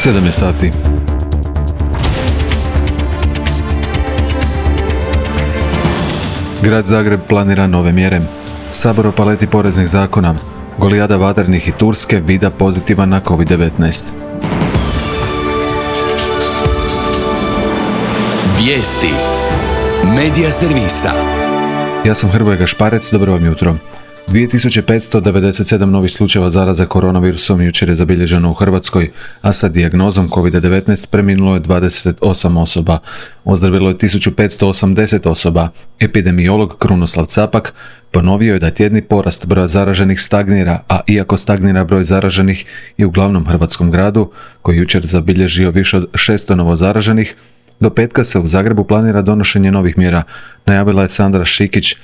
7 je sati. Grad Zagreb planira nove mjere. Sabor o paleti poreznih zakona. Golijada Vatrenih i Turske vida pozitivan na COVID-19. Vijesti. Medija servisa. Ja sam Hrvoje Gašparec, dobro vam jutro. 2597 novih slučajeva zaraze koronavirusom jučer je zabilježeno u Hrvatskoj, a sa dijagnozom COVID-19 preminulo je 28 osoba. Ozdravilo je 1580 osoba. Epidemiolog Krunoslav Capak ponovio je da tjedni porast broja zaraženih stagnira, a iako stagnira broj zaraženih i u glavnom hrvatskom gradu, koji jučer zabilježio više od 600 novozaraženih, do petka se u Zagrebu planira donošenje novih mjera, najavila je Sandra Šikić,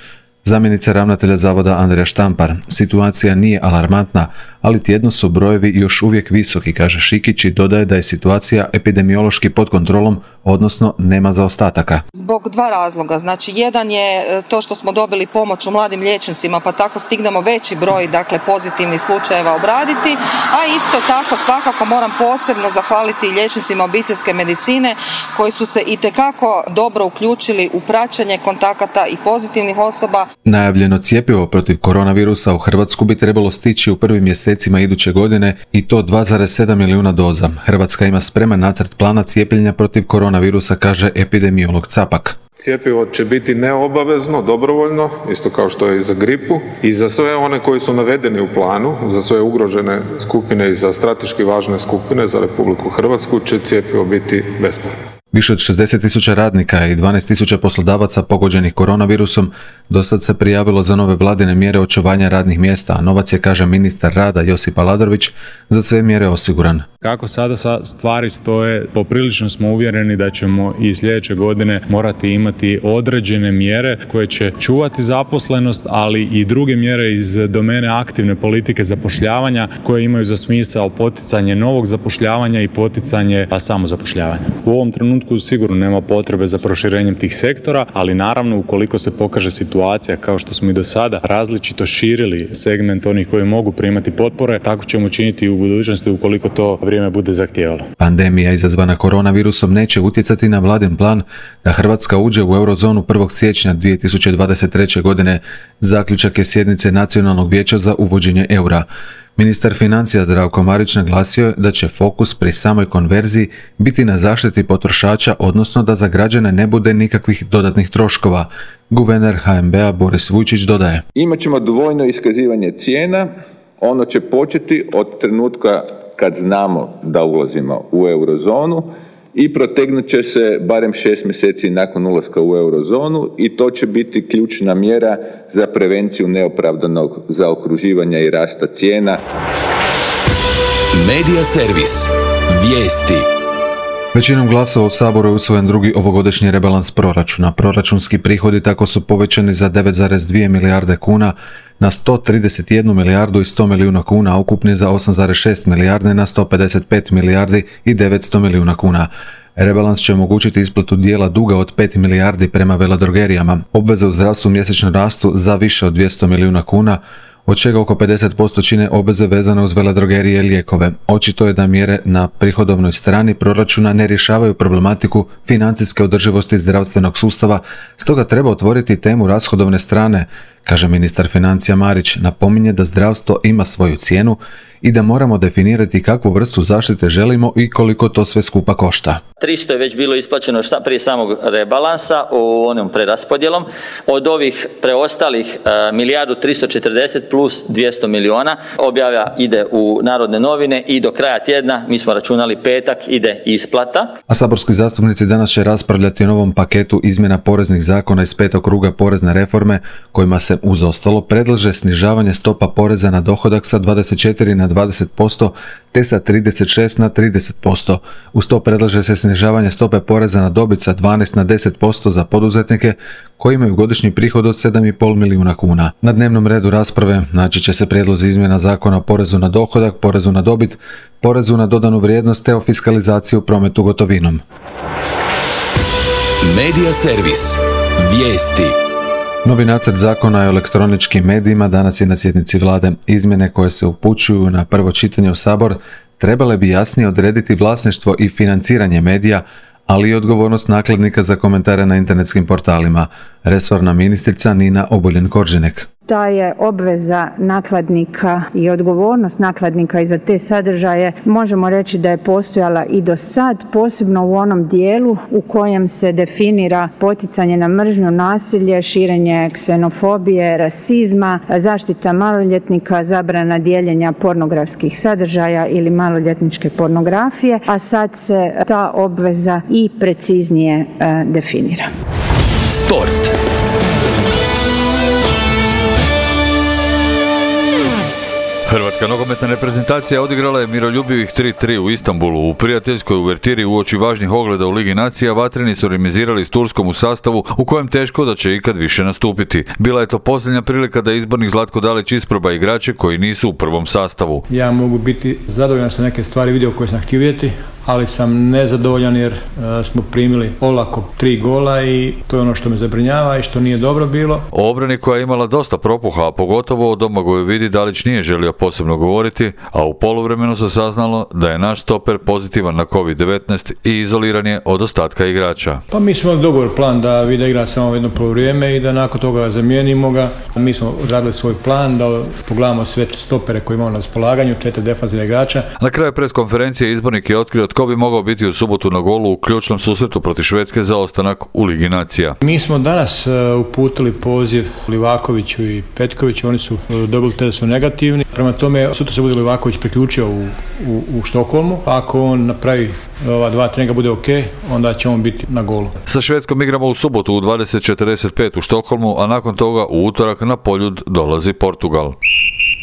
zamjenica ravnatelja zavoda Andrija Štampar. Situacija nije alarmantna, ali tjedno su brojevi još uvijek visoki, kaže Šikić i dodaje da je situacija epidemiološki pod kontrolom, odnosno nema zaostataka. Zbog dva razloga. Znači, jedan je to što smo dobili pomoć u mladim liječnicima, pa tako stignemo veći broj pozitivnih slučajeva obraditi, a isto tako svakako moram posebno zahvaliti liječnicima obiteljske medicine koji su se itekako dobro uključili u praćenje kontakata i pozitivnih osoba. Najavljeno cjepivo protiv koronavirusa u Hrvatsku bi trebalo stići u prvim mjesecima iduće godine i to 2,7 milijuna doza. Hrvatska ima spreman nacrt plana cijepljenja protiv koronavirusa, kaže epidemiolog Capak. Cijepivo će biti neobavezno, dobrovoljno, isto kao što je i za gripu, i za sve one koji su navedeni u planu, za sve ugrožene skupine i za strateški važne skupine za Republiku Hrvatsku će cijepivo biti besplatno. Više od 60.000 radnika i 12.000 poslodavaca pogođenih koronavirusom dosad se prijavilo za nove vladine mjere očuvanja radnih mjesta, a novac je, kaže ministar rada Josip Aladrović, za sve mjere osiguran. Kako sada stvari stoje, poprilično smo uvjereni da ćemo i sljedeće godine morati imati određene mjere koje će čuvati zaposlenost, ali i druge mjere iz domene aktivne politike zapošljavanja koje imaju za smisao poticanje novog zapošljavanja i poticanje samozapošljavanja. U ovom trenutku sigurno nema potrebe za proširenjem tih sektora, ali naravno ukoliko se pokaže situacija kao što smo i do sada različito širili segment onih koji mogu primati potpore, tako ćemo činiti i u budućnosti ukoliko to vrijeme bude zahtijevalo. Pandemija izazvana koronavirusom neće utjecati na vladin plan da Hrvatska uđe u eurozonu 1. siječnja 2023. godine. Zaključak je sjednice Nacionalnog vijeća za uvođenje eura. Ministar financija Zdravko Marić naglasio je da će fokus pri samoj konverziji biti na zaštiti potrošača, odnosno da za građane ne bude nikakvih dodatnih troškova. Guverner HNB-a Boris Vujčić dodaje: Imaćemo dvojno iskazivanje cijena, ono će početi od trenutka kad znamo da ulazimo u eurozonu i protegnut će se barem 6 mjeseci nakon ulaska u eurozonu i to će biti ključna mjera za prevenciju neopravdanog zaokruživanja i rasta cijena. Medija servis. Vijesti. Većinom glasova u Saboru je usvojen drugi ovogodišnji rebalans proračuna. Proračunski prihodi tako su povećani za 9,2 milijarde kuna na 131 milijardu i 100 milijuna kuna, a ukupni za 8,6 milijarde na 155 milijardi i 900 milijuna kuna. Rebalans će omogućiti isplatu dijela duga od 5 milijardi prema veledrogerijama. Obveze u zdravstvu mjesečno rastu za više od 200 milijuna kuna, od čega oko 50% čine obveze vezane uz veledrogerije i lijekove. Očito je da mjere na prihodovnoj strani proračuna ne rješavaju problematiku financijske održivosti zdravstvenog sustava, stoga treba otvoriti temu rashodovne strane, kaže ministar financija Marić. Napominje da zdravstvo ima svoju cijenu i da moramo definirati kakvu vrstu zaštite želimo i koliko to sve skupa košta. 300 je već bilo isplaćeno prije samog rebalansa u onom preraspodjelom. Od ovih preostalih milijardu 340 plus 200 milijuna objava ide u Narodne novine i do kraja tjedna, mi smo računali petak, ide isplata. A saborski zastupnici danas će raspravljati o novom paketu izmjena poreznih zakona iz 5. kruga porezne reforme, kojima se uz ostalo predlaže snižavanje stopa poreza na dohodak sa 24 na 20% te sa 36 na 30%. Uz to predlaže se snižavanje stope poreza na dobit sa 12 na 10% za poduzetnike koji imaju godišnji prihod od 7,5 milijuna kuna. Na dnevnom redu rasprave naći će se prijedlozi izmjena zakona o porezu na dohodak, porezu na dobit, porezu na dodanu vrijednost te o fiskalizaciji u prometu gotovinom. Medija servis. Vijesti. Novi nacrt zakona o elektroničkim medijima danas je na sjednici vlade. Izmjene koje se upućuju na prvo čitanje u Sabor trebale bi jasnije odrediti vlasništvo i financiranje medija, ali i odgovornost nakladnika za komentare na internetskim portalima. Resorna ministrica Nina Obuljen-Koržinek. Ta je obveza nakladnika i odgovornost nakladnika i za te sadržaje možemo reći da je postojala i do sad, posebno u onom dijelu u kojem se definira poticanje na mržnju, nasilje, širenje ksenofobije, rasizma, zaštita maloljetnika, zabrana dijeljenja pornografskih sadržaja ili maloljetničke pornografije, a sad se ta obveza i preciznije definira. Sport. Hrvatska nogometna reprezentacija odigrala je miroljubivih 3-3 u Istanbulu. U prijateljskoj uvertiri uoči važnih ogleda u Ligi nacija vatreni su remizirali s Turskom u sastavu u kojem teško da će ikad više nastupiti. Bila je to posljednja prilika da izbornik Zlatko Dalić isproba igrače koji nisu u prvom sastavu. Ja mogu biti zadovoljan sa neke stvari vidio koje sam htio vidjeti, ali sam nezadovoljan jer smo primili olako 3 gola i to je ono što me zabrinjava i što nije dobro bilo. O obrani koja je imala dosta propuha, a pogotovo o Domagoju Vidi, Dalić nije želio posebno govoriti, a u poluvremenu se saznalo da je naš stoper pozitivan na COVID-19 i izoliran je od ostatka igrača. Pa mi smo imali dogovor plan da Vida igra samo jedno poluvrijeme i da nakon toga zamijenimo ga. Mi smo odradili svoj plan da pogledamo sve stopere koje imamo na raspolaganju, 4 defanzivna igrača. Na kraju preskonferencije izbornik je otkrio tko bi mogao biti u subotu na golu u ključnom susretu protiv Švedske za ostanak u Ligi nacija. Mi smo danas uputili poziv Livakoviću i Petkoviću, oni su dobili te da su negativni. Prema tome, sutra se bude Livaković priključio u Štokholmu. Ako on napravi ova 2 treninga bude ok, onda će on biti na golu. Sa Švedskom igramo u subotu u 20:45 u Štokholmu, a nakon toga u utorak na Poljud dolazi Portugal.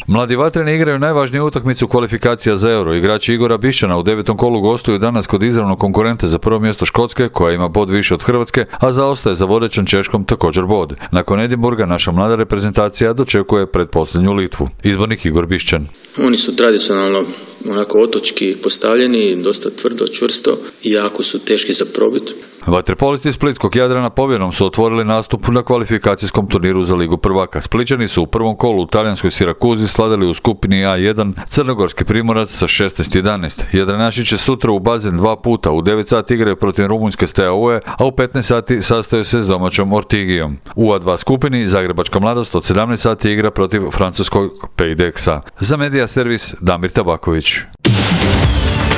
Mladi vatreni igraju najvažniju utakmicu kvalifikacija za Euro. Igrači Igora Bišćana u 9. kolu gostuju danas kod izravnog konkurenta za prvo mjesto Škotske, koja ima bod više od Hrvatske, a zaostaje za vodećom Češkom također bod. Nakon Edinburga naša mlada reprezentacija dočekuje pretposljednju Litvu. Izbornik Igor Bišćan. Oni su tradicionalno onako otočki postavljeni, dosta tvrdo, čvrsto i jako su teški za probit. Vaterpolisti Splitskog Jadrana pobjedom su otvorili nastup na kvalifikacijskom turniru za Ligu prvaka. Splićani su u prvom kolu u talijanskoj Sirakuzi slavili u skupini A1 Crnogorski Primorac sa 16-11. Jadranaši će sutra u bazen 2 puta. U 9 sati igraju protiv rumunjske Steaue, a u 15 sati sastaju se s domaćom Ortigijom. U A2 skupini Zagrebačka mladost od 17 sati igra protiv francuskog Paydexa. Za Medija servis Damir Tabaković.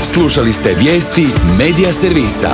Slušali ste vijesti Medija servisa.